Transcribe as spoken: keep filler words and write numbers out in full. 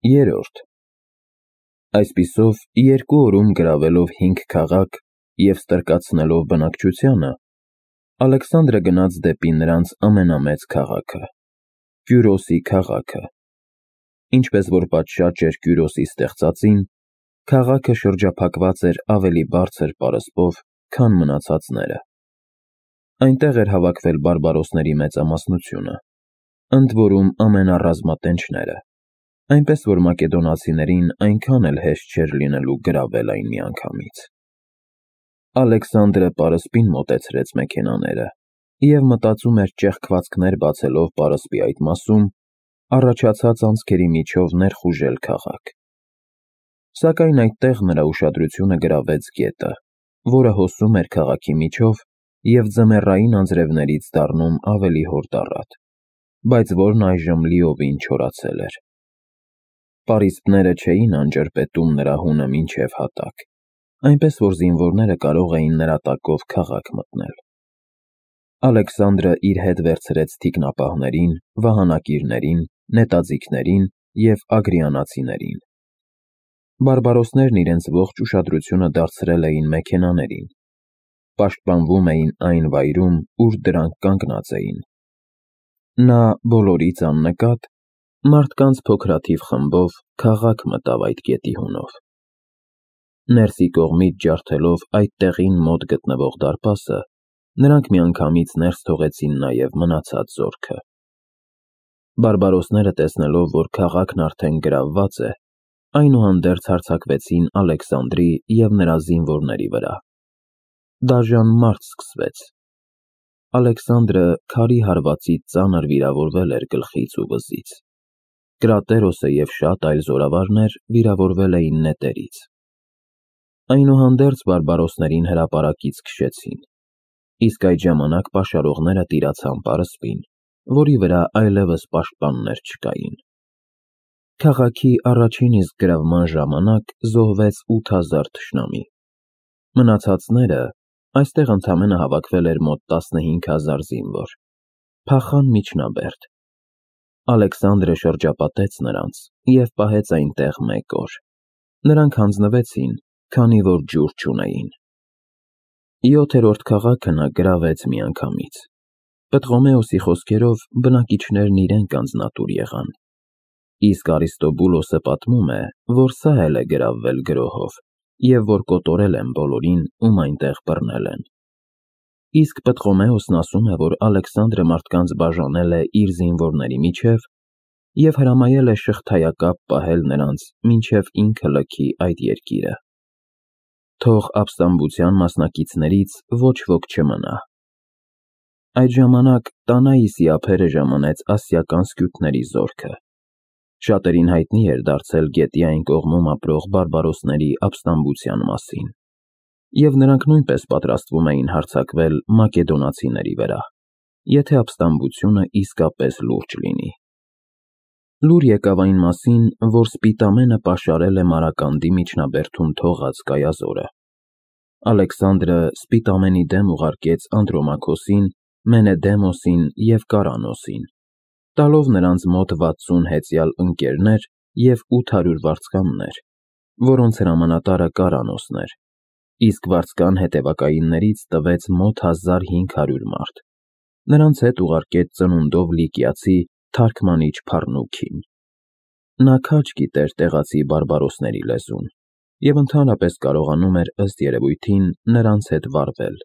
Երրորդ Այսպիսով, երկու օրում գրավելով հինգ քաղաք և ստրկացնելով բնակչությանը, Ալեքսանդրը գնաց դեպի նրանց ամենամեծ քաղաքը՝ Կյուրոսի քաղաքը։ Ինչպես որ պատշաճ էր Կյուրոսի ստեղծածին, քաղաքը շրջափակված էր ավելի բարձր պարսպով, քան մնացածները։ Այնտեղ էր հավաքվել բարբարոսների մեծամասնությունը, ընդ որում ամենառազմատենչները, այնպես որ մակեդոնացիներին այնքան էլ հեշտ չէր լինելու գրավել այն միանգամից։ Ալեքսանդրը պարսպին մոտեցրեց մեքենաները և մտածում էր ճեղքվածքներ բացելով պարսպի այդ մասում, առաջացած անցքերի միջով ներխուժել քաղաք։ Սակայն այդտեղ նրա ուշադրությունը գրավեց գետը, որը հոսում էր քաղաքի միջով և ձմեռային անձրևներից դառնում ավելի հորդառատ, բայց որն այժմ լիովին չորացել էր։ Պարիսպները չէին անջրպետում նրա հունը մինչև հատակ, այնպես որ զինվորները կարող էին նրա տակով քաղաք մտնել։ Ալեքսանդրը իր հետ վերցրեց թիկնապահներին, վահանակիրներին, նետաձիգներին և ագրիանացիներին։ Բարբարոսներն իրենց ողջ ուշադրությունը դարձրել էին մեքենաներին, պաշտպանվում էին այն վայրում, ուր դրանք կանգնած էին։ Նա բոլորից աննկատ, մարդկանց փոքրաթիվ խմբով քաղաք մտավ այդ գետի հունով։ Ներսի կողմից ջարդելով այդ տեղին մոտ գտնվող դարպասը, նրանք միանգամից ներս թողեցին նաև մնացած զորքը։ Բարբարոսները տեսնելով, որ քաղաքն արդեն գրավված է, այնուհանդերձ հարձակվեցին Ալեքսանդրի և նրա զինվորների վրա։ Դաժան մարտ սկսվեց։ Ալեքսանդրը քարի հարվածից ծանր վիրավորվել էր գլխից ու վզից։ Կրատերոսը և շատ այլ զորավարներ վիրավորվել էին նետերից։ Այնուհանդերձ բարբարոսներին հրապարակից քշեցին, իսկ այդ ժամանակ պաշարողները տիրացան պարսպին, որի վրա այլևս պաշտպաններ չկային։ Քաղաքի առաջին իսկ գրավման ժամանակ զոհվեց ութ հազար թշնամի։ Մնացածները, այստեղ ընդամենը հավաքվել էր մոտ տասնհինգ հազար զինվոր, փախան միջնաբերդ։ Ալեքսանդրը շրջապատեց նրանց և պահեց այնտեղ մեկ օր։ Նրանք հանձնվեցին, քանի որ ջուր չունեին։ Յոթերորդ քաղաքը նա գրավեց միանգամից։ Պտղոմեոսի խոսքերով բնակիչներն իրենք անձնատուր եղան։ Իսկ Արիստոբուլոսը պատմում է, որ սա էլ է գրավվել գրոհով և որ կոտորել են բոլորին, ում այնտեղ բռնել են։ Իսկ Պտղոմեոսն ասում է, որ Ալեքսանդրը մարդկանց բաժանել է իր զինվորների միջև և հրամայել է շղթայակապ պահել նրանց, մինչև ինքը լքի այդ երկիրը։ Թող ապստամբության մասնակիցներից ոչ ոք չմնա։ Այդ ժամանակ Տանայիսի ափերը ժամանեց ասիական սկյութների զորքը։ Շատերին հայտնի էր դարձել գետի այն կողմում ապրող բարբարոսների ապստամբության մասին, և նրանք նույնպես պատրաստվում էին հարձակվել մակեդոնացիների վրա, եթե ապստամբությունը իսկապես լուրջ լինի։ Լուր եկավ այն մասին, որ Սպիտամենը պաշարել է Մարականդի միջնաբերդում թողած կայազորը։ Ալեքսանդրը Սպիտամենի դեմ ուղարկեց Անդրոմաքոսին, Մենեդեմոսին և Կարանոսին, տալով նրանց մոտ վաթսուն հեծյալ ընկերներ և ութ հարյուր վարձկաններ, որոնց հրամանատարը Կարանոսն էր, իսկ վարձկան հետևակայիններից տվեց մոտ հազար հինգ հարյուր մարդ։ Նրանց հետ ուղարկեց ծնունդով Լիկիացի թարգմանիչ Փառնուքին։ Նա քաջ գիտեր տեղացի բարբարոսների լեզուն և ընդհանրապես կարողանում էր ըստ երևույթին նրանց հետ վարվել։